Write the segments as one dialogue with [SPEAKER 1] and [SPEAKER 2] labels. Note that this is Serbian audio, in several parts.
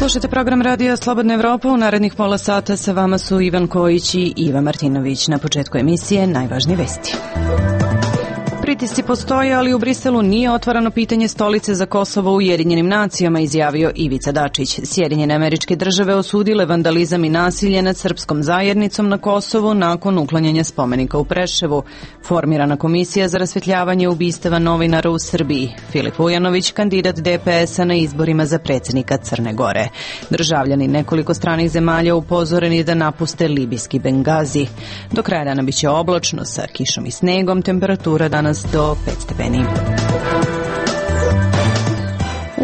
[SPEAKER 1] Slušajte program Radija Slobodna Evropa. U narednih pola sata sa vama su Ivan Kojić i Iva Martinović. Na početku emisije najvažnije vesti. Pritisci postoje, ali u Briselu nije otvarano pitanje stolice za Kosovo u Ujedinjenim nacijama, izjavio Ivica Dačić. Sjedinjene Američke Države osudile vandalizam i nasilje nad srpskom zajednicom na Kosovu nakon uklanjanja spomenika u Preševu. Formirana komisija za rasvetljavanje ubistava novinara u Srbiji. Filip Ujanović, kandidat DPS-a na izborima za predsjednika Crne Gore. Državljani nekoliko stranih zemalja upozoreni da napuste libijski Bengazi. Do kraja dana biće oblačno sa kišom i snegom, temperatura danas do 5 stepeni.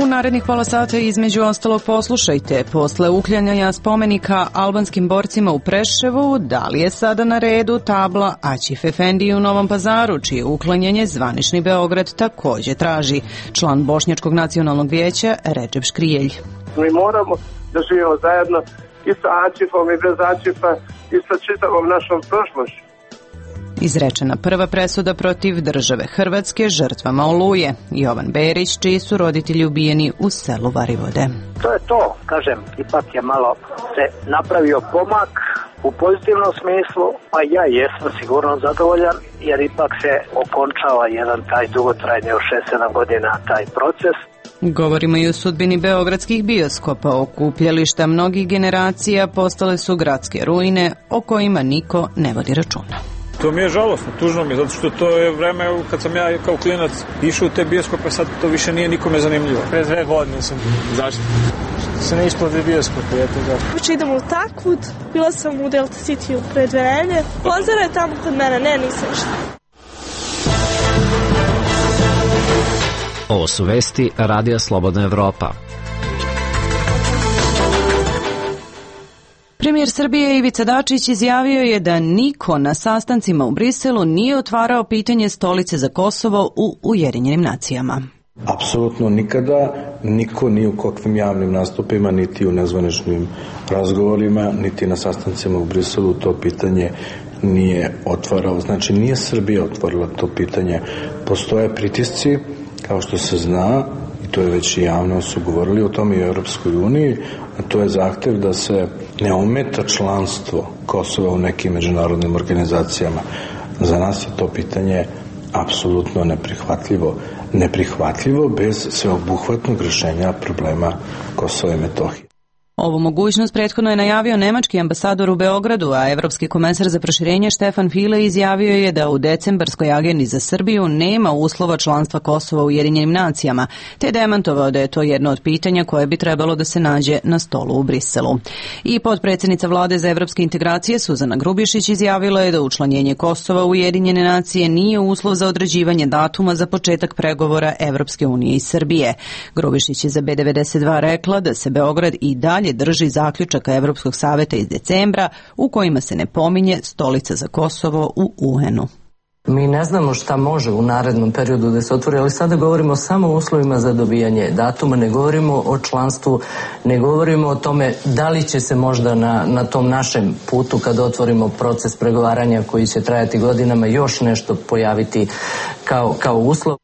[SPEAKER 1] U narednih pola sata između ostalog poslušajte. Posle uklanjanja spomenika albanskim borcima u Preševu, da li je sada na redu tabla Aćif Efendiji u Novom Pazaru, čije uklanjanje zvanični Beograd također traži. Član Bošnjačkog nacionalnog vijeća Redžep Škrijelj.
[SPEAKER 2] Mi moramo da živimo zajedno i sa Aćifom i bez Aćifa i sa čitavom našom prošlošću.
[SPEAKER 1] Izrečena prva presuda protiv države Hrvatske žrtvama Oluje. Jovan Berić, čiji su roditelji ubijeni u selu Varivode.
[SPEAKER 3] To je to, kažem, ipak je malo se napravio pomak u pozitivnom smislu, a ja jesam sigurno zadovoljan, jer ipak se okončava jedan taj dugotrajni od 6-7 godina taj proces.
[SPEAKER 1] Govorimo i o sudbini beogradskih bioskopa. Okupljališta mnogih generacija postale su gradske ruine o kojima niko ne vodi računa.
[SPEAKER 4] To mi je žalosno, tužno mi je, zato što to je vreme kad sam ja kao klinac išao u te bioskope, sad to više nije nikome zanimljivo.
[SPEAKER 5] Pre 2 godine sam.
[SPEAKER 4] Zašto?
[SPEAKER 5] Što se ne isplati bioskope, eto zašto.
[SPEAKER 6] Uče idem u Takvud, bila sam u Delta City pre 2 nedelje. Pozara je tamo kod mene, ne, nisam ništa.
[SPEAKER 7] Ovo su vesti Radija Slobodna Evropa.
[SPEAKER 1] Premijer Srbije Ivica Dačić izjavio je da niko na sastancima u Briselu nije otvarao pitanje stolice za Kosovo u Ujedinjenim nacijama.
[SPEAKER 8] Apsolutno nikada niko ni u kakvim javnim nastupima, niti u nezvaničnim razgovorima, niti na sastancima u Briselu to pitanje nije otvarao. Znači, nije Srbija otvorila to pitanje. Postoje pritisci, kao što se zna, i to je već i javno su govorili o tome i u Europskoj uniji, a to je zahtev da se ne ometa članstvo Kosova u nekim međunarodnim organizacijama. Za nas je to pitanje apsolutno neprihvatljivo. Neprihvatljivo bez sveobuhvatnog rješenja problema Kosova i Metohije.
[SPEAKER 1] Ovu mogućnost prethodno je najavio nemački ambasador u Beogradu, a evropski komesar za proširenje Štefan File izjavio je da u decembarskoj agendi za Srbiju nema uslova članstva Kosova u Ujedinjenim nacijama, te demantovao da je to jedno od pitanja koje bi trebalo da se nađe na stolu u Briselu. I potpredsjednica vlade za evropske integracije Suzana Grubješić izjavila je da učlanjenje Kosova u Ujedinjene nacije nije uslov za određivanje datuma za početak pregovora Evropske unije i Srbije. Grubješić je za B92 rekla da se Beograd i dalje drži zaključaka Evropskog saveta iz decembra u kojima se ne pominje stolica za Kosovo u UN-u.
[SPEAKER 9] Mi ne znamo šta može u narednom periodu da se otvori, ali sada govorimo samo o uslovima za dobijanje datuma, ne govorimo o članstvu, ne govorimo o tome da li će se možda na tom našem putu kada otvorimo proces pregovaranja koji će trajati godinama još nešto pojaviti kao uslov.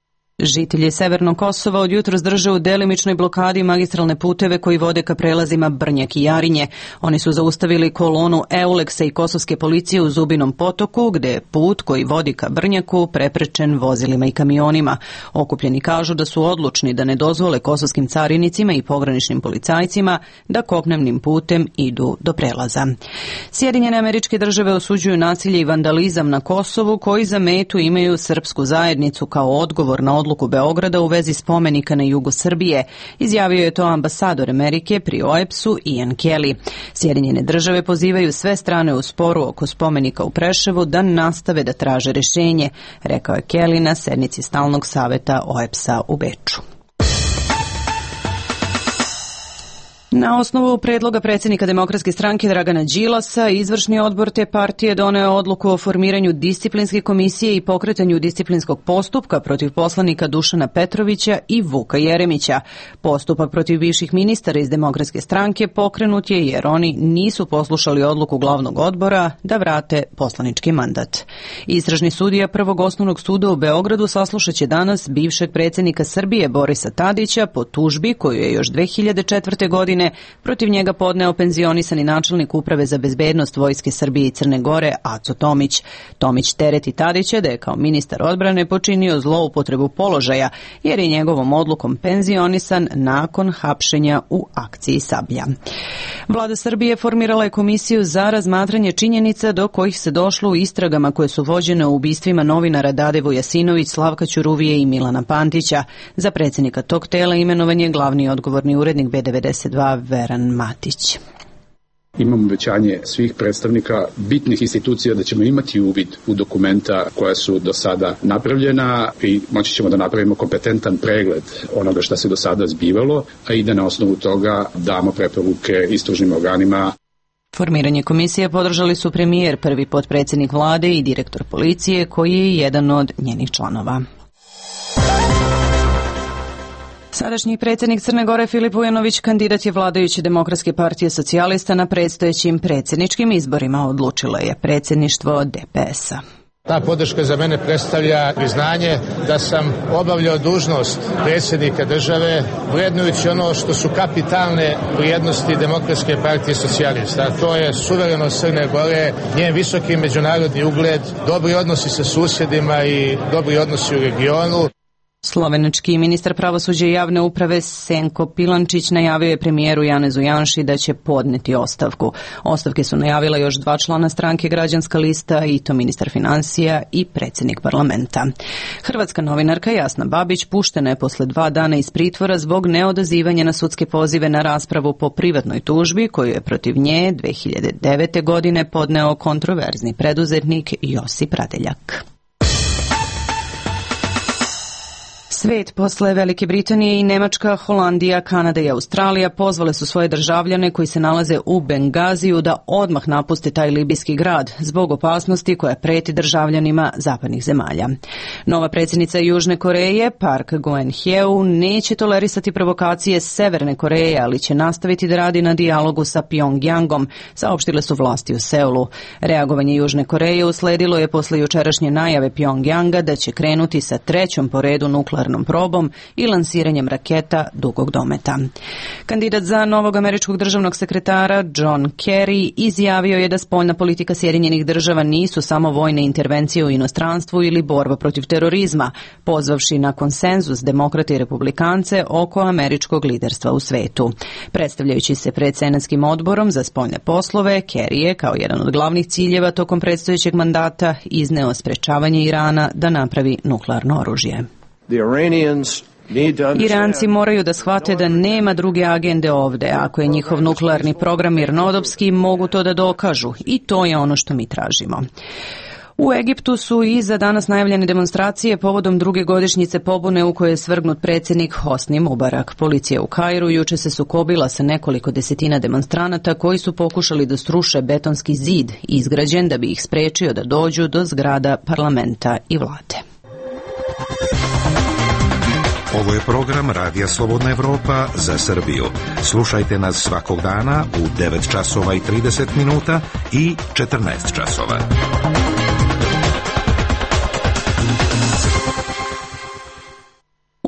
[SPEAKER 1] Žitelji Severnog Kosova od jutros drže u delimičnoj blokadi magistralne puteve koji vode ka prelazima Brnjak i Jarinje. Oni su zaustavili kolonu Euleksa i kosovske policije u Zubinom potoku, gde je put koji vodi ka Brnjaku preprečen vozilima i kamionima. Okupljeni kažu da su odlučni da ne dozvole kosovskim carinicima i pograničnim policajcima da kopnenim putem idu do prelaza. Sjedinjene Američke Države osuđuju nasilje i vandalizam na Kosovu koji za metu imaju srpsku zajednicu kao odgovor na odluku Beograda u vezi spomenika na jugu Srbije. Izjavio je to ambasador Amerike pri OEBS-u Ian Kelly. Sjedinjene Države pozivaju sve strane u sporu oko spomenika u Preševu da nastave da traže rješenje, rekao je Kelly na sednici stalnog saveta OEBS-a u Beču. Na osnovu predloga predsjednika Demokratske stranke Dragana Đilasa, izvršni odbor te partije doneo odluku o formiranju disciplinske komisije i pokretanju disciplinskog postupka protiv poslanika Dušana Petrovića i Vuka Jeremića. Postupak protiv bivših ministara iz Demokratske stranke pokrenut je jer oni nisu poslušali odluku glavnog odbora da vrate poslanički mandat. Istražni sudija Prvog osnovnog suda u Beogradu saslušat će danas bivšeg predsjednika Srbije Borisa Tadića po tužbi koju je još 2004. godine godine protiv njega podneo penzionisani načelnik Uprave za bezbednost Vojske Srbije i Crne Gore Aco Tomić. Tomić tereti Tadića da je kao ministar odbrane počinio zloupotrebu položaja jer je njegovom odlukom penzionisan nakon hapšenja u akciji Sablja. Vlada Srbije formirala je komisiju za razmatranje činjenica do kojih se došlo u istragama koje su vođene u ubistvima novinara Dade Vujasinović, Slavka Ćuruvije i Milana Pantića. Za predsjednika tog tela imenovan je glavni odgovorni urednik B92 Veran Matić.
[SPEAKER 10] Imamo obećanje svih predstavnika bitnih institucija da ćemo imati uvid u dokumenta koja su do sada napravljena i moći ćemo da napravimo kompetentan pregled onoga što se do sada zbivalo, a i da na osnovu toga damo preporuke istražnim organima.
[SPEAKER 1] Formiranje komisije podržali su premijer, prvi potpredsjednik vlade i direktor policije koji je jedan od njenih članova. Sadašnji predsjednik Crne Gore Filip Vujanović kandidat je vladajuće Demokratske partije socijalista na predstojećim predsjedničkim izborima, odlučilo je predsjedništvo DPS-a.
[SPEAKER 11] Ta podrška za mene predstavlja priznanje da sam obavljao dužnost predsjednika države vrednujući ono što su kapitalne vrijednosti Demokratske partije socijalista. A to je suverenost Crne Gore, njen visoki međunarodni ugled, dobri odnosi sa susjedima i dobri odnosi u regionu.
[SPEAKER 1] Slovenački ministar pravosuđa i javne uprave Senko Pilančić najavio je premijeru Janezu Janši da će podneti ostavku. Ostavke su najavila još 2 člana stranke Građanska lista i to ministar financija i predsjednik parlamenta. Hrvatska novinarka Jasna Babić puštena je posle 2 dana iz pritvora zbog neodazivanja na sudske pozive na raspravu po privatnoj tužbi koju je protiv nje 2009. godine podneo kontroverzni preduzetnik Josip Radeljak. Svet posle Velike Britanije i Nemačka, Holandija, Kanada i Australija pozvale su svoje državljane koji se nalaze u Bengaziju da odmah napuste taj libijski grad zbog opasnosti koja preti državljanima zapadnih zemalja. Nova predsjednica Južne Koreje, Park Geun-hye, neće tolerisati provokacije Severne Koreje, ali će nastaviti da radi na dijalogu sa Pjongjangom, saopštile su vlasti u Seulu. Reagovanje Južne Koreje usledilo je posle jučerašnje najave Pjongjanga da će krenuti sa 3. po redu nuklearnom probom i lansiranjem raketa dugog dometa. Kandidat za novog američkog državnog sekretara John Kerry izjavio je da spoljna politika Sjedinjenih država nisu samo vojne intervencije u inostranstvu ili borba protiv terorizma, pozvavši na konsenzus demokrate i republikance oko američkog liderstva u svetu. Predstavljajući se pred Senatskim odborom za spoljne poslove, Kerry je kao jedan od glavnih ciljeva tokom predstojećeg mandata izneo sprečavanje Irana da napravi nuklearno oružje. Iranci moraju da shvate da nema druge agende ovde. Ako je njihov nuklearni program mirnodopski, mogu to da dokažu i to je ono što mi tražimo. U Egiptu su i za danas najavljene demonstracije povodom 2. godišnjice pobune u kojoj je svrgnut predsjednik Hosni Mubarak. Policija u Kairu juče se sukobila sa nekoliko desetina demonstranata koji su pokušali da sruše betonski zid izgrađen da bi ih sprečio da dođu do zgrada parlamenta i vlade.
[SPEAKER 12] Ovo je program Radija Slobodna Evropa za Srbiju. Slušajte nas svakog dana u 9 časova i 30 minuta i 14 časova.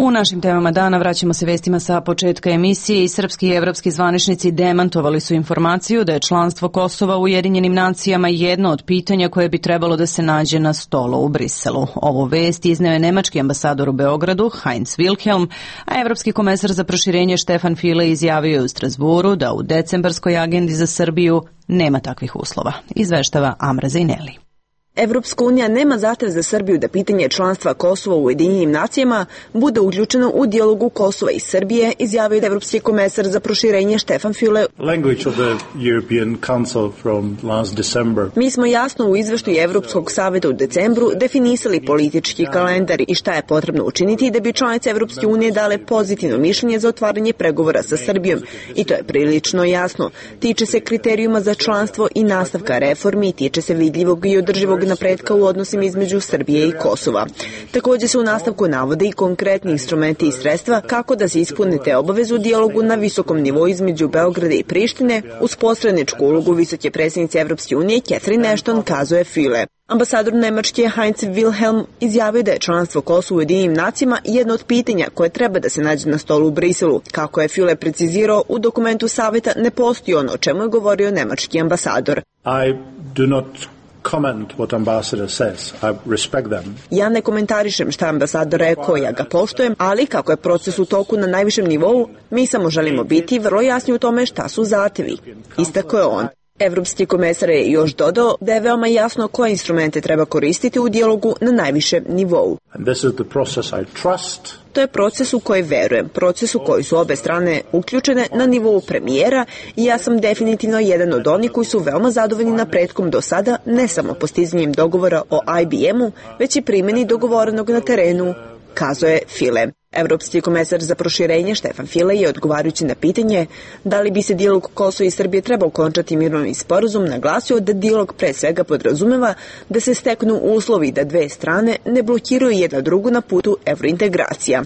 [SPEAKER 1] U našim temama dana vraćamo se vestima sa početka emisije i srpski i evropski zvaničnici demantovali su informaciju da je članstvo Kosova u Ujedinjenim nacijama jedno od pitanja koje bi trebalo da se nađe na stolu u Briselu. Ovu vest izneo je nemački ambasador u Beogradu, Heinz Wilhelm, a evropski komesar za proširenje Stefan Füle izjavio je u Strasburu da u decembarskoj agendi za Srbiju nema takvih uslova. Izveštava Amra Zejneli.
[SPEAKER 13] Evropska unija nema zahtev za Srbiju da pitanje članstva Kosova u Ujedinjenim nacijama bude uključeno u dijalogu Kosova i Srbije, izjavio je evropski komesar za proširenje Stefan Füle. Mi smo jasno u izveštaju Evropskog saveta u decembru definisali politički kalendar i šta je potrebno učiniti da bi članice Evropske unije dale pozitivno mišljenje za otvaranje pregovora sa Srbijom. I to je prilično jasno. Tiče se kriterijuma za članstvo i nastavka reformi, tiče se vidljivog i održivog napretka u odnosima između Srbije i Kosova. Također se u nastavku navode i konkretni instrumenti i sredstva kako da se ispune te obaveze u dijalogu na visokom nivou između Beograda i Prištine uz posredničku ulogu visoke predsjednice Evropske unije Catherine Ashton, kazuje Füle. Ambasador Nemačke Heinz Wilhelm izjavio da je članstvo Kosova u Ujedinjenim nacijama jedno od pitanja koje treba da se nađe na stolu u Briselu. Kako je Füle precizirao, u dokumentu saveta ne postoji ono o čemu je govorio nemački ambasador. Ja ne komentarišem šta ambasador rekao, ja ga poštujem, ali kako je proces u toku na najvišem nivou, mi samo želimo biti vrlo jasni u tome šta su zahtevi. Istakao je on. Evropski komesar je još dodao da je veoma jasno koje instrumente treba koristiti u dijalogu na najvišem nivou. To je proces u koji verujem, proces u koji su obe strane uključene na nivou premijera i ja sam definitivno jedan od onih koji su veoma zadovoljni napretkom do sada, ne samo postizanjem dogovora o IBM-u, već i primjeni dogovorenog na terenu, kazuje Füle. Evropski komesar za proširenje Stefan Füle je odgovarajući na pitanje da li bi se dijalog Kosova i Srbije trebao okončati mirovnim sporazum naglasio da dijalog pre svega podrazumeva da se steknu uslovi da dve strane ne blokiraju jedna drugu na putu evrointegracija.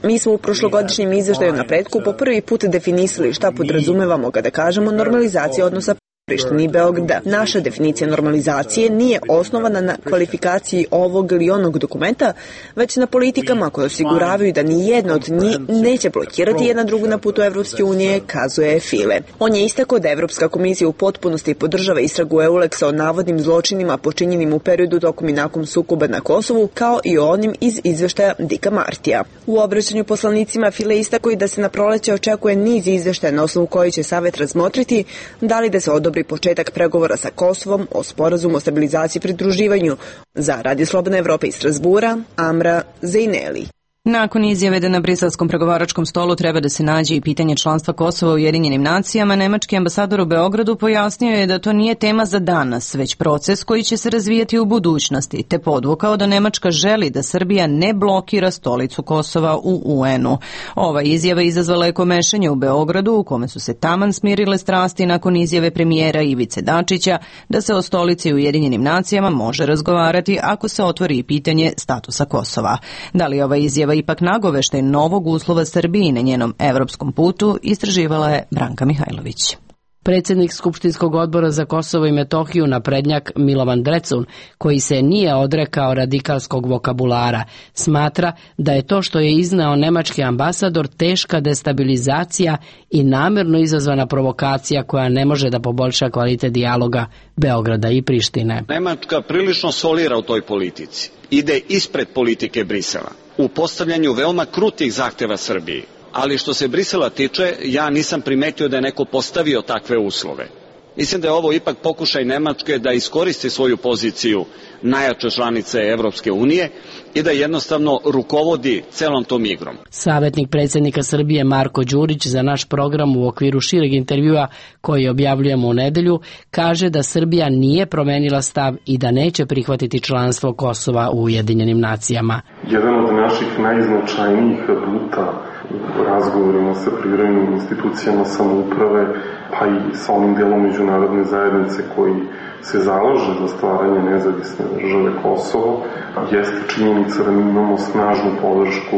[SPEAKER 13] Mi smo u prošlogodišnjem izveštaju napretku po prvi put definisali šta podrazumevamo kada kažemo normalizacija odnosa Prištini i Beograda. Naša definicija normalizacije nije osnovana na kvalifikaciji ovog ili onog dokumenta, već na politikama koje osiguravaju da ni jedna od njih neće blokirati jedna drugu na putu Evropske unije, kazuje Füle. On je istakao da Evropska komisija u potpunosti podržava istragu EULEX-a o navodnim zločinima počinjenim u periodu tokom i nakon sukoba na Kosovu, kao i o onim iz izveštaja Dicka Martija. U obraćanju poslanicima Füle istakao i da se na proleće očekuje niz izveštaja na osnovu koji će Savet razmotriti da li da se odobri početak pregovora sa Kosovom o sporazumu o stabilizaciji i pridruživanju. Za Radio Slobodne Evrope iz Strasbura, Amra Zejneli.
[SPEAKER 1] Nakon izjave da na briselskom pregovaračkom stolu treba da se nađe i pitanje članstva Kosova u Ujedinjenim nacijama, nemački ambasador u Beogradu pojasnio je da to nije tema za danas, već proces koji će se razvijati u budućnosti, te podvukao da Nemačka želi da Srbija ne blokira stolicu Kosova u UN-u. Ova izjava izazvala je komešanje u Beogradu, u kome su se taman smirile strasti nakon izjave premijera Ivice Dačića da se o stolici u Ujedinjenim nacijama može razgovarati ako se otvori i pitanje statusa Kosova. Da li ova izjava ipak nagoveštaj novog uslova Srbiji na njenom evropskom putu, istraživala je Branka Mihajlović.
[SPEAKER 14] Predsjednik Skupštinskog odbora za Kosovo i Metohiju naprednjak Milovan Drecun, koji se nije odrekao radikalskog vokabulara, smatra da je to što je izneo nemački ambasador teška destabilizacija i namjerno izazvana provokacija koja ne može da poboljša kvalitet dijaloga Beograda i Prištine.
[SPEAKER 15] Nemačka prilično solira u toj politici. Ide ispred politike Brisela u postavljanju veoma krutih zahtjeva Srbiji. Ali što se Brisela tiče, ja nisam primetio da je neko postavio takve uslove. Mislim da je ovo ipak pokušaj Nemačke da iskoristi svoju poziciju najjače članice Evropske unije i da jednostavno rukovodi celom tom igrom.
[SPEAKER 14] Savjetnik predsjednika Srbije Marko Đurić za naš program u okviru šireg intervjua koji objavljujemo u nedelju kaže da Srbija nije promenila stav i da neće prihvatiti članstvo Kosova u Ujedinjenim nacijama.
[SPEAKER 16] Jedan od naših najznačajnijih aduta u razgovorima sa privremenim institucijama samouprave, pa i sa onim delom međunarodne zajednice koji se zalaže za stvaranje nezavisne države Kosovo, jeste činjenica da mi imamo snažnu podršku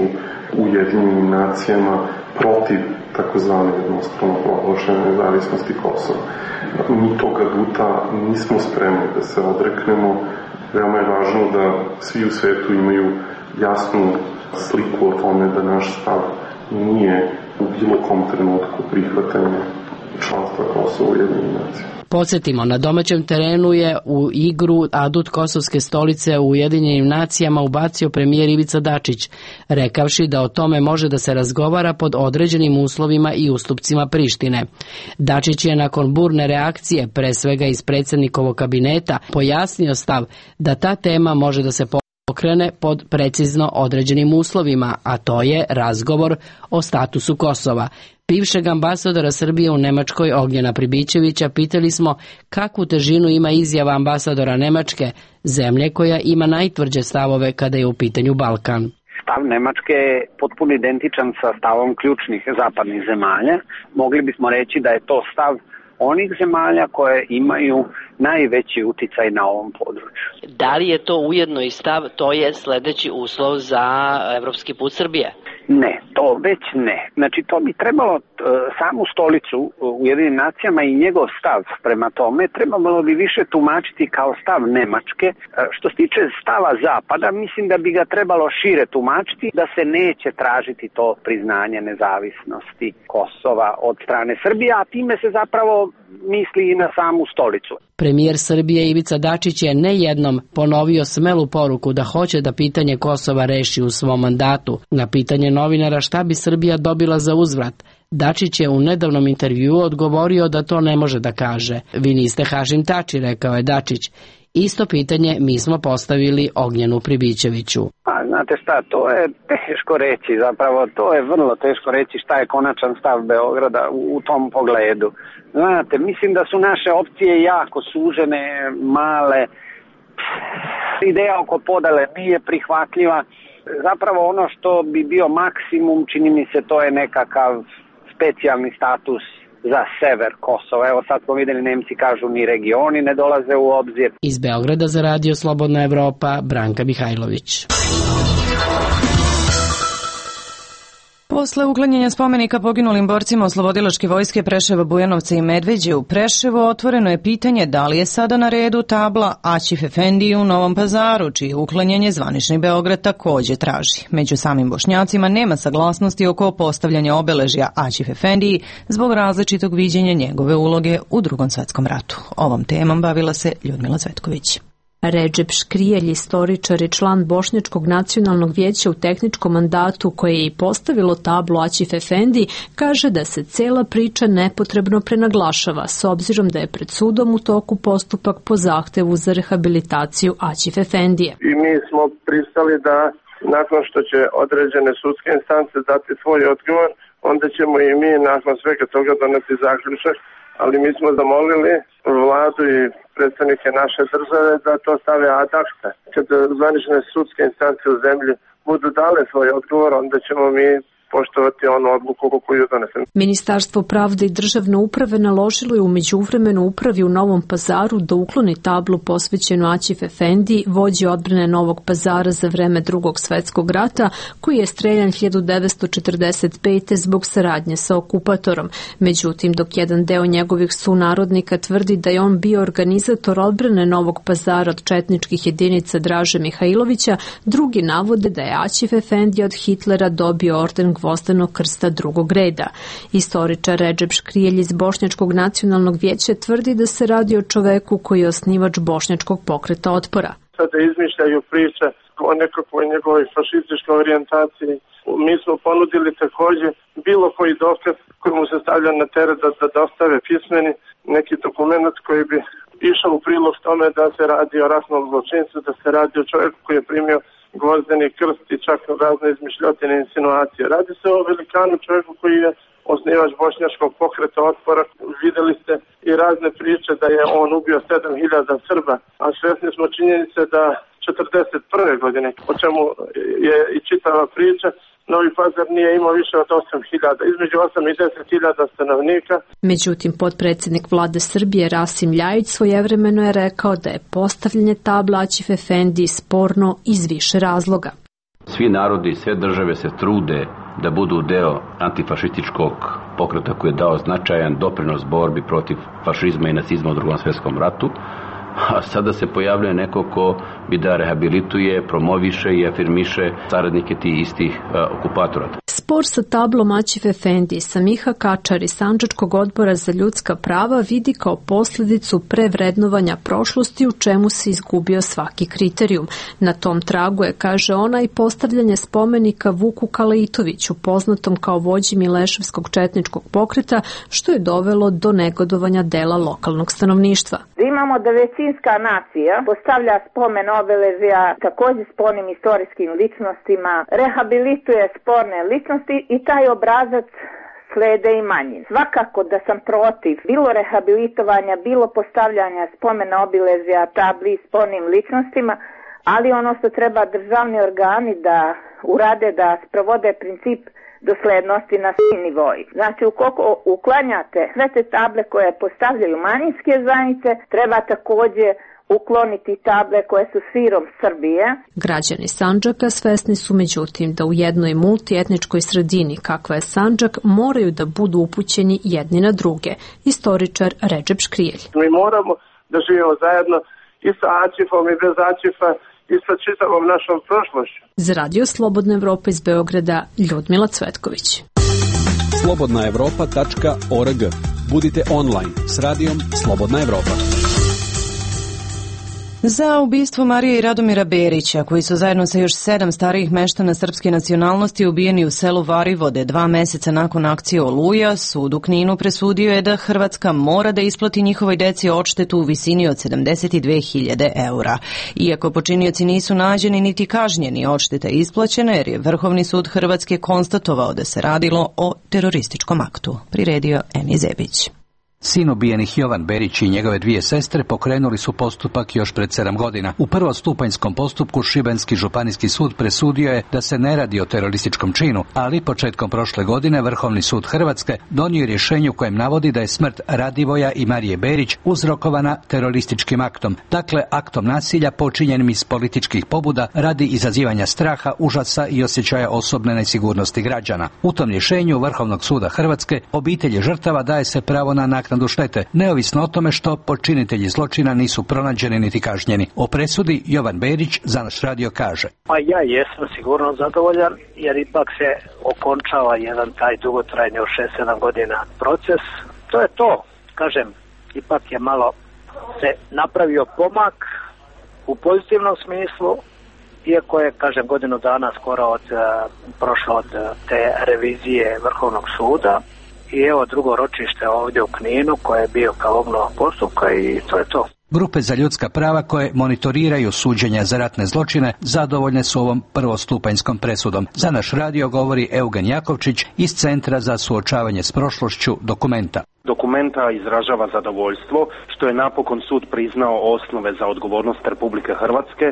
[SPEAKER 16] u Ujedinjenim nacijama protiv takozvane jednostrano proglašene nezavisnosti Kosova. Mi tog aduta nismo spremni da se odreknemo. Veoma je važno da svi u svetu imaju jasnu sliku o tome da naš stav nije u bilo kom trenutku prihvatanje članstva Kosova u Ujedinjenim nacijama.
[SPEAKER 14] Podsjetimo, na domaćem terenu je u igru adut kosovske stolice u Ujedinjenim nacijama ubacio premijer Ivica Dačić, rekavši da o tome može da se razgovara pod određenim uslovima i ustupcima Prištine. Dačić je nakon burne reakcije, pre svega iz predsjednikovog kabineta, pojasnio stav da ta tema može da se pokrene pod precizno određenim uslovima, a to je razgovor o statusu Kosova. Bivšeg ambasadora Srbije u Nemačkoj Ognjena Pribićevića pitali smo kakvu težinu ima izjava ambasadora Nemačke, zemlje koja ima najtvrđe stavove kada je u pitanju Balkan.
[SPEAKER 3] Stav Nemačke je potpuno identičan sa stavom ključnih zapadnih zemalja. Mogli bismo reći da je to stav onih zemalja koje imaju najveći uticaj na ovom području.
[SPEAKER 14] Da li je to ujedno i stav, to je sledeći uslov za evropski put Srbije?
[SPEAKER 3] Ne, to već ne. Znači, to bi trebalo samu stolicu u Ujedinjenim nacijama i njegov stav prema tome trebalo bi više tumačiti kao stav Nemačke. Što se tiče stava Zapada, mislim da bi ga trebalo šire tumačiti, da se neće tražiti to priznanje nezavisnosti Kosova od strane Srbije, a time se zapravo misli i na samu stolicu.
[SPEAKER 14] Premijer Srbije Ivica Dačić je nejednom ponovio smelu poruku da hoće da pitanje Kosova reši u svom mandatu. Na pitanje novinara šta bi Srbija dobila za uzvrat, Dačić je u nedavnom intervjuu odgovorio da to ne može da kaže. Vi niste Hašim Tači, rekao je Dačić. Isto pitanje mi smo postavili Ognjenu Pribićeviću.
[SPEAKER 3] Pa znate šta, to je teško reći, zapravo to je vrlo teško reći šta je konačan stav Beograda u tom pogledu. Znate, mislim da su naše opcije jako sužene, male, ideja oko podele nije prihvatljiva. Zapravo ono što bi bio maksimum, čini mi se, to je nekakav specijalni status za sever Kosova. Evo sad smo videli, Nemci kažu ni regioni ne dolaze u obzir.
[SPEAKER 14] Iz Beograda za Radio Slobodna Evropa, Branka Mihajlović.
[SPEAKER 1] Posle uklanjanja spomenika poginulim borcima Oslobodilačke vojske Preševa, Bujanovca i Medveđe u Preševo, otvoreno je pitanje da li je sada na redu tabla Aćif Efendiji u Novom Pazaru, čije uklanjanje zvanični Beograd takođe traži. Među samim Bošnjacima nema saglasnosti oko postavljanja obeležja Aćif Efendiji zbog različitog viđenja njegove uloge u Drugom svetskom ratu. Ovom temom bavila se Ljudmila Cvetković.
[SPEAKER 17] Redžep Škrijelj, istoričar i član Bošnjačkog nacionalnog vijeća u tehničkom mandatu koje je i postavilo tablu Aćif Efendi, kaže da se cela priča nepotrebno prenaglašava s obzirom da je pred sudom u toku postupak po zahtevu za rehabilitaciju Aćif Efendije.
[SPEAKER 2] I mi smo pristali da nakon što će određene sudske instance dati svoj odgovor, onda ćemo i mi nakon svega toga doneti zaključak, ali mi smo zamolili vladu i predstavnike naše države da to stave ad acta. Kad zvanične sudske instance u zemlji budu dale svoj odgovor, onda ćemo mi poštovati onu odluku koju donesem.
[SPEAKER 17] Ministarstvo pravde i državne uprave naložilo je u međuvremenu upravi u Novom Pazaru da ukloni tablu posvećenu Aćif Efendi, vođi odbrane Novog Pazara za vreme Drugog svetskog rata, koji je streljan 1945. zbog saradnje sa okupatorom. Međutim, dok jedan deo njegovih sunarodnika tvrdi da je on bio organizator odbrane Novog Pazara od četničkih jedinica Draže Mihajlovića, drugi navode da je Aćif Efendi od Hitlera dobio orden Gvozdenog krsta drugog reda. Istoričar Redžep Škrijelj iz Bošnjačkog nacionalnog vijeća tvrdi da se radi o čoveku koji je osnivač Bošnjačkog pokreta otpora.
[SPEAKER 2] Sada izmišljaju priče o nekakvoj njegovoj fašističkoj orijentaciji. Mi smo ponudili takođe bilo koji dokaz koji mu se stavlja na teret da dostave pismeni neki dokument koji bi išao u prilog tome da se radi o ratnom zločincu, da se radi o čovjeku koji je primio Gvozdeni krst i čak razne izmišljotine insinuacije. Radi se o velikanu, čovjeku koji je osnivač Bošnjačkog pokreta otpora. Videli ste i razne priče da je on ubio 7.000 Srba, a svesni smo činjenice da 41. godine, o čemu je i čitava priča, Novi Pazar nije imao više od 8.000, između 8 i 10.000 stanovnika.
[SPEAKER 17] Međutim, potpredsjednik vlade Srbije Rasim Ljajić svojevremeno je rekao da je postavljanje tabla Aćif Efendi sporno iz više razloga.
[SPEAKER 18] Svi narodi i sve države se trude da budu deo antifašističkog pokreta koji je dao značajan doprinos borbi protiv fašizma i nacizma u Drugom svjetskom ratu, a sada se pojavljuje neko ko bi da rehabilituje, promoviše i afirmiše saradnike tih istih okupatora.
[SPEAKER 17] Spor sa tablom Aćif Efendi Samiha Kačar iz Sandžačkog odbora za ljudska prava vidi kao posljedicu prevrednovanja prošlosti u čemu se izgubio svaki kriterijum. Na tom tragu je, kaže ona, i postavljanje spomenika Vuku Kalaitoviću, poznatom kao vođi Mileševskog četničkog pokreta, što je dovelo do negodovanja dela lokalnog stanovništva.
[SPEAKER 19] Imamo da većinska nacija postavlja spomen obeležja također spornim istorijskim ličnostima, rehabilituje sporne ličnosti i taj obrazac slede i manji. Svakako da sam protiv bilo rehabilitovanja, bilo postavljanja spomena obilježja tabli spornim ličnostima, ali ono što treba državni organi da urade, da sprovode princip doslednosti na svim nivoima. Znači, ukoliko uklanjate sve te table koje postavljaju manjinske zajednice, treba takođe ukloniti table koje su širom Srbije.
[SPEAKER 17] Građani Sandžaka svesni su međutim da u jednoj multietničkoj sredini kakva je Sandžak moraju da budu upućeni jedni na druge. Istoričar Redžep Škrijelj.
[SPEAKER 2] Mi moramo da živimo zajedno i sa Aćifom i bez Aćifa i sa čitavom našom prošlošću.
[SPEAKER 17] Za Radio Slobodna Evropa iz Beograda, Ljudmila Cvetković.
[SPEAKER 20] slobodnaevropa.org. Budite online s radijom Slobodna Evropa.
[SPEAKER 1] Za ubistvo Marije i Radomira Berića, koji su zajedno sa još 7 starijih meštana srpske nacionalnosti ubijeni u selu Varivode 2 meseca nakon akcije Oluja, sud u Kninu presudio je da Hrvatska mora da isplati njihovoj deci odštetu u visini od 72.000 eura. Iako počinioci nisu nađeni niti kažnjeni, odšteta je isplaćena jer je Vrhovni sud Hrvatske konstatovao da se radilo o terorističkom aktu. Priredio Eni Zebić.
[SPEAKER 21] Sin ubijenih Jovan Berić i njegove 2 sestre pokrenuli su postupak još pred 7 godina. U prvostupanjskom postupku Šibenski županijski sud presudio je da se ne radi o terorističkom činu, ali početkom prošle godine Vrhovni sud Hrvatske donio je rješenje u kojem navodi da je smrt Radivoja i Marije Berić uzrokovana terorističkim aktom, dakle aktom nasilja počinjenim iz političkih pobuda radi izazivanja straha, užasa i osjećaja osobne nesigurnosti građana. U tom rješenju Vrhovnog suda Hrvatske obitelji žrtava daje se pravo na naknadu štete, neovisno o tome što počinitelji zločina nisu pronađeni niti kažnjeni. O presudi Jovan Berić za naš radio kaže:
[SPEAKER 3] Pa ja jesam sigurno zadovoljan, jer ipak se okončava jedan taj dugotrajni od 6-7 godina proces. To je to, kažem, ipak je malo se napravio pomak u pozitivnom smislu, iako je, kažem, godinu dana skoro prošlo od te revizije Vrhovnog suda. I evo drugo ročište ovdje u Kninu koje je bio kao obnova postupka i to je to.
[SPEAKER 21] Grupe za ljudska prava koje monitoriraju suđenja za ratne zločine zadovoljne su ovom prvostupanjskom presudom. Za naš radio govori Eugen Jakovčić iz Centra za suočavanje s prošlošću Dokumenta.
[SPEAKER 22] Dokumenta izražava zadovoljstvo što je napokon sud priznao osnove za odgovornost Republike Hrvatske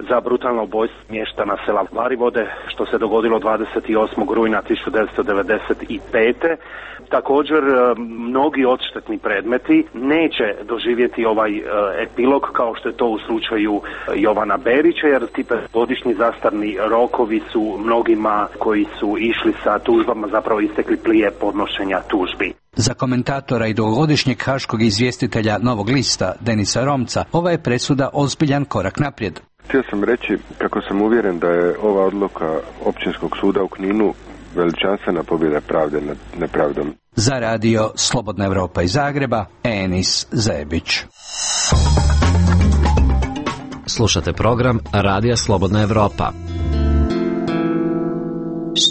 [SPEAKER 22] za brutalno ubojstvo mještana sela Varivode što se dogodilo 28. rujna 1995. Također, mnogi odštetni predmeti neće doživjeti ovaj epilog kao što je to u slučaju Jovana Berića, jer ti godišnji zastarni rokovi su mnogima koji su išli sa tužbama zapravo istekli prije podnošenja tužbi.
[SPEAKER 21] Za komentatora i dugogodišnjeg haškog izvjestitelja Novog lista Denisa Romca, ova je presuda ozbiljan korak naprijed.
[SPEAKER 23] Htio sam reći kako sam uvjeren da je ova odluka Općinskog suda u Kninu veličanstvena pobjeda pravde nad nepravdom.
[SPEAKER 21] Za radio Slobodna Evropa iz Zagreba, Enis Zebić.
[SPEAKER 7] Slušate program Radija Slobodna Evropa.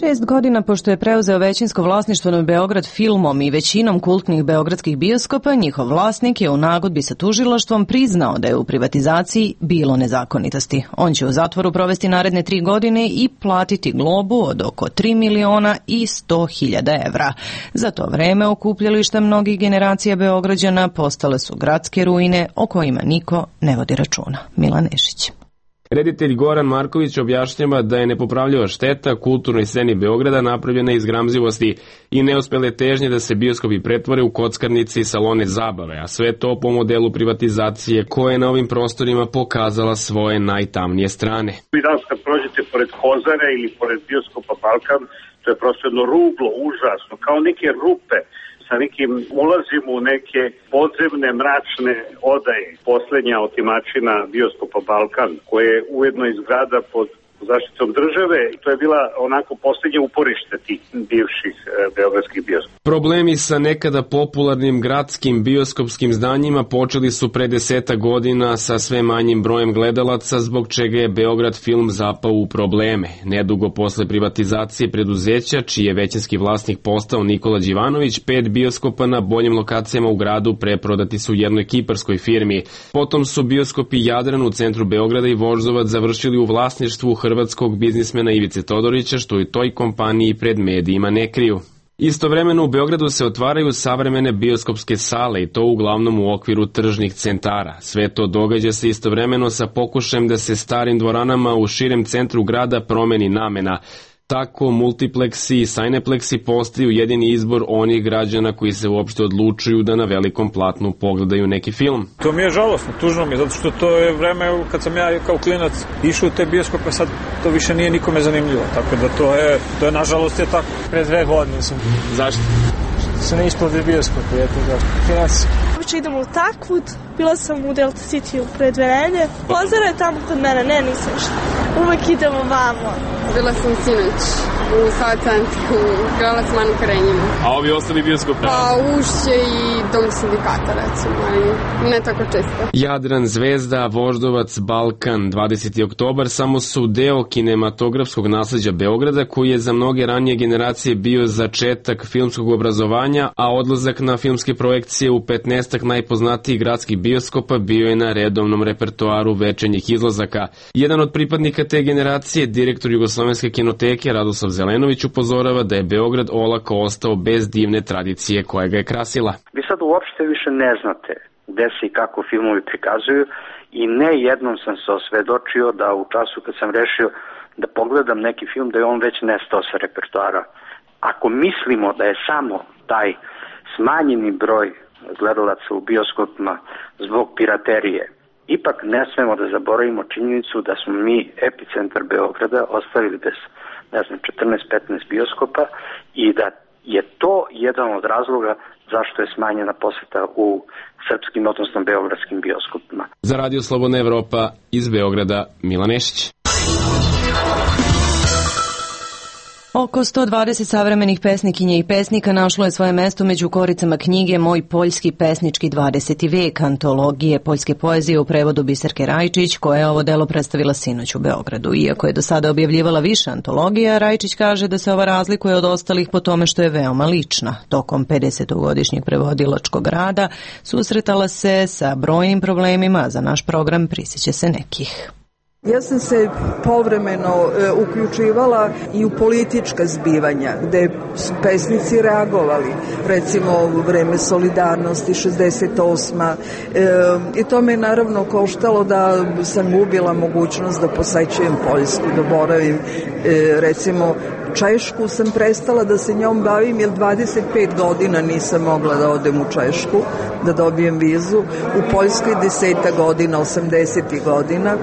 [SPEAKER 1] 6 godina pošto je preuzeo većinsko vlasništvo nad Beograd filmom i većinom kultnih beogradskih bioskopa, njihov vlasnik je u nagodbi sa tužilaštvom priznao da je u privatizaciji bilo nezakonitosti. On će u zatvoru provesti naredne 3 godine i platiti globu od oko 3.100.000 evra. Za to vreme okupljališta mnogih generacija Beograđana postale su gradske ruine o kojima niko ne vodi računa. Milan Nešić.
[SPEAKER 24] Reditelj Goran Marković objašnjava da je nepopravljiva šteta kulturnoj sceni Beograda napravljena iz gramzivosti i neuspele težnje da se bioskopi pretvore u kockarnice i salone zabave, a sve to po modelu privatizacije koja je na ovim prostorima pokazala svoje najtamnije strane.
[SPEAKER 25] Vi danas kad prođete pored Kozare ili pored bioskopa Balkan, to je prosto jedno ruglo, užasno, kao neke rupe, sa nekim ulazimo u neke podzemne mračne odaje. Poslednja otimačina bioskopa Balkan, koja je ujedno i zgrada pod zaštitom države, to je bila onako posljednje uporište tih bivših beogradskih bioskopa.
[SPEAKER 24] Problemi sa nekada popularnim gradskim bioskopskim zdanjima počeli su pre 10 godina sa sve manjim brojem gledalaca, zbog čega je Beograd film zapao u probleme. Nedugo posle privatizacije preduzeća, čiji je većinski vlasnik postao Nikola Đivanović, 5 bioskopa na boljim lokacijama u gradu preprodati su jednoj kiparskoj firmi. Potom su bioskopi Jadran u centru Beograda i Voždovac završili u vlasništvu hrvatskog biznismena Ivice Todorića, što i toj kompaniji pred medijima ne kriju. Istovremeno u Beogradu se otvaraju savremene bioskopske sale i to uglavnom u okviru tržnih centara. Sve to događa se istovremeno sa pokušajem da se starim dvoranama u širem centru grada promeni namena. Tako multipleksi i cinepleksi postaju jedini izbor onih građana koji se uopšte odlučuju da na velikom platnu pogledaju neki film.
[SPEAKER 4] To mi je žalostno, tužno mi je, zato što to je vreme kad sam ja kao klinac išao u te bioskope, sad to više nije nikome zanimljivo, tako da to je nažalost je tako.
[SPEAKER 5] Pre 2 godine sam.
[SPEAKER 24] Zašto?
[SPEAKER 5] Se ne isplati bioskope, eto zašto. Finansijski.
[SPEAKER 6] Uče idem u Takvud, bila sam u Delta City pre 2 nedelje. Pozara je tamo kod mene, ne, nisam što. Uvek idemo vamo.
[SPEAKER 8] Bila sam sinoć u Sava centru, gledala sam Anu Karenjinu.
[SPEAKER 24] A ovi ostali bioskopi?
[SPEAKER 8] Pa Ušće i Dom sindikata, recimo, ali ne tako često.
[SPEAKER 24] Jadran, Zvezda, Voždovac, Balkan, 20. oktobar samo su deo kinematografskog nasleđa Beograda, koji je za mnoge ranije generacije bio začetak filmskog obrazovanja, a odlazak na filmske projekcije u 15-ak najpoznatijih gradskih bioskopa bio je na redovnom repertoaru večernjih izlazaka. Jedan od pripadnika te generacije, direktor Jugoslovenske kinoteke Radoslav Zelenović, upozorava da je Beograd olako ostao bez divne tradicije koja ga je krasila.
[SPEAKER 9] Vi sad uopšte više ne znate gde se i kako filmovi prikazuju i ne jednom sam se osvedočio da u času kad sam rešio da pogledam neki film da je on već nestao sa repertoara. Ako mislimo da je samo taj smanjeni broj gledalaca u bioskopima zbog piraterije, ipak ne smemo da zaboravimo činjenicu da smo mi epicentar Beograda ostavili bez 14-15 bioskopa i da je to jedan od razloga zašto je smanjena poseta u srpskim, odnosno beogradskim bioskopima.
[SPEAKER 24] Za Radio Slobodna Evropa iz Beograda, Milan Nešić.
[SPEAKER 1] Oko 120 savremenih pesnikinja i pesnika našlo je svoje mesto među koricama knjige Moj poljski pesnički 20. vek, antologije poljske poezije u prevodu Biserke Rajčić, koja je ovo delo predstavila sinoć u Beogradu. Iako je do sada objavljivala više antologija, Rajčić kaže da se ova razlikuje od ostalih po tome što je veoma lična. Tokom 50-godišnjeg prevodilačkog rada susretala se sa brojnim problemima, a za naš program prisjeća se nekih.
[SPEAKER 26] Ja sam se povremeno uključivala i u politička zbivanja, gde su pesnici reagovali, recimo u vreme Solidarnosti, 68. I to me je naravno koštalo da sam gubila mogućnost da posećujem Poljsku, da boravim, recimo Češku sam prestala da se njom bavim jer 25 godina nisam mogla da odem u Češku, da dobijem vizu, u Poljskoj 10 godina, 80 godina.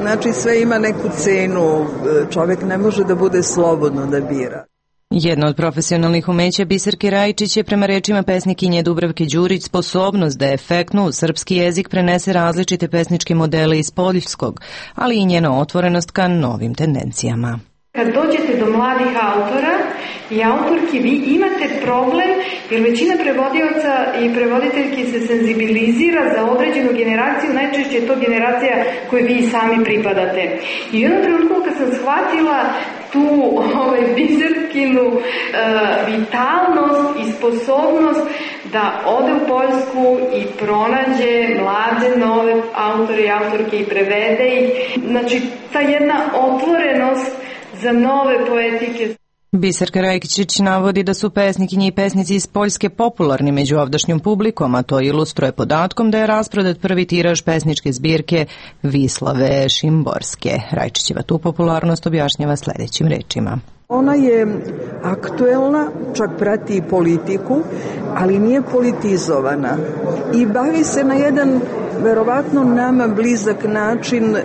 [SPEAKER 26] Znači sve ima neku cenu, čovjek ne može da bude slobodno da bira.
[SPEAKER 1] Jedno od profesionalnih umeća Biserke Rajčić je prema rečima pesnikinje Dubravke Đurić sposobnost da efektno u srpski jezik prenese različite pesničke modele iz poljskog, ali i njena otvorenost ka novim tendencijama.
[SPEAKER 27] Kad dođete do mladih autora i autorki, vi imate problem jer većina prevodioca i prevoditeljki se senzibilizira za određenu generaciju, najčešće je to generacija koju vi sami pripadate. I u jednom trenutku kad sam shvatila tu Biserkinu vitalnost i sposobnost da ode u Poljsku i pronađe mlade nove autore i autorke i prevede ih. Znači, ta jedna otvorenost za nove poetike.
[SPEAKER 1] Biserka Rajčić navodi da su pesnikinje i pesnici iz Poljske popularni među ovdašnjom publikom, a to ilustruje podatkom da je rasprodat prvi tiraž pesničke zbirke Vislave Šimborske. Rajčićeva tu popularnost objašnjava sledećim rečima.
[SPEAKER 26] Ona je aktuelna, čak prati i politiku, ali nije politizovana i bavi se na jedan verovatno nama blizak način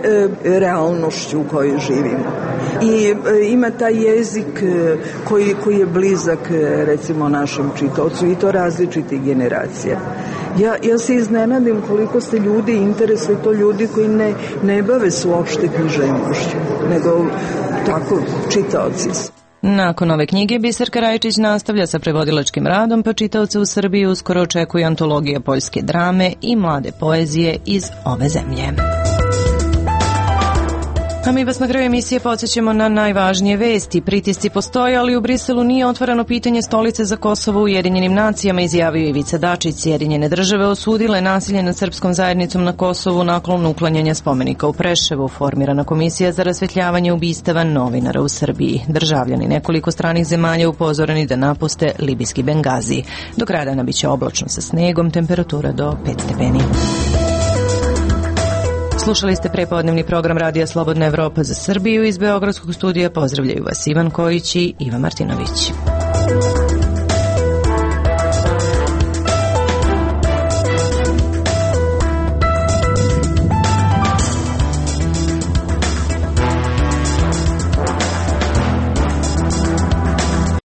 [SPEAKER 26] realnošću u kojoj živimo. I ima taj jezik koji je blizak recimo našem čitaocu i to različitih generacija. Ja se iznenadim koliko se ljudi interesuju, to ljudi koji ne bave se uopšte književnošću, nego tako čitaoci.
[SPEAKER 1] Nakon ove knjige Biserka Rajčić nastavlja sa prevodilačkim radom, pa čitaoce u Srbiji uskoro očekuje antologija poljske drame i mlade poezije iz ove zemlje. A mi vas na kraju emisije podsjećamo na najvažnije vesti. Pritisci postoje, ali u Briselu nije otvoreno pitanje stolice za Kosovo u Ujedinjenim nacijama, izjavio Ivica Dačić. Sjedinjene države osudile nasilje nad srpskom zajednicom na Kosovu nakon uklanjanja spomenika u Preševu. Formirana komisija za rasvetljavanje ubistava novinara u Srbiji. Državljani nekoliko stranih zemalja upozoreni da napuste libijski Bengazi. Do kraja dana biće oblačno sa snegom, temperatura do 5 stepeni.
[SPEAKER 10] Slušali ste prepodnevni program Radija Slobodna Evropa za Srbiju. Iz Beogradskog studija pozdravljaju vas Ivan Kojić i Iva Martinović.